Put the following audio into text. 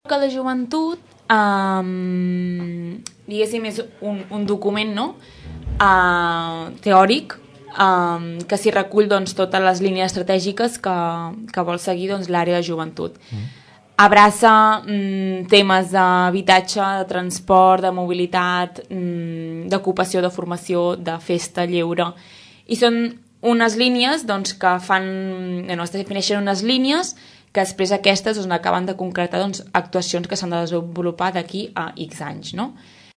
que la joventut, diguéssim, és un document, no? Teòric, que s'hi recull doncs, totes les línies estratègiques que vol seguir doncs, l'àrea de joventut. Abraça temes d'habitatge, de transport, de mobilitat, d'ocupació, de formació, de festa, lleure. I són unes línies doncs, que fan... Bueno, es defineixen unes línies que després aquestes doncs, acaben de concretar doncs, actuacions que s'han de desenvolupar d'aquí a X anys, no?